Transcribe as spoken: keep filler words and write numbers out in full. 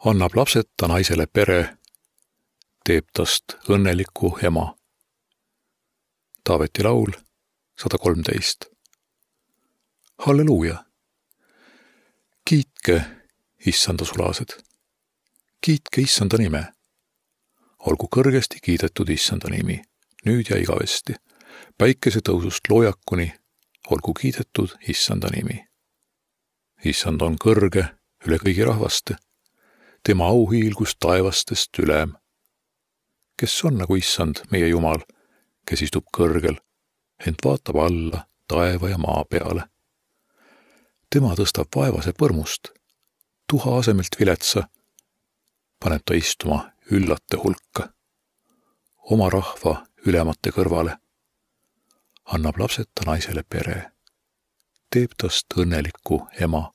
annab lapseta naisele pere, teeb tast õnneliku ema. Taaveti laul sada kolmteist. Halleluuja! Kiitke issanda sulased. Kiitke issanda nime. Olgu kõrgesti kiidetud issanda nimi, nüüd ja igavesti. Päikese tõusust loojakuni olgu kiidetud issanda nimi. Issand on kõrge üle kõigi rahvaste, tema auhiilgus taevastest ülem. Kes on nagu issand, meie Jumal, kes istub kõrgel, ent vaatab alla taeva ja maa peale. Tema tõstab vaevase põrmust, tuha asemelt viletsa, paneb ta istuma üllate hulka, oma rahva ülemate kõrvale, annab lapseta naisele pere, teeb tast õnneliku ema.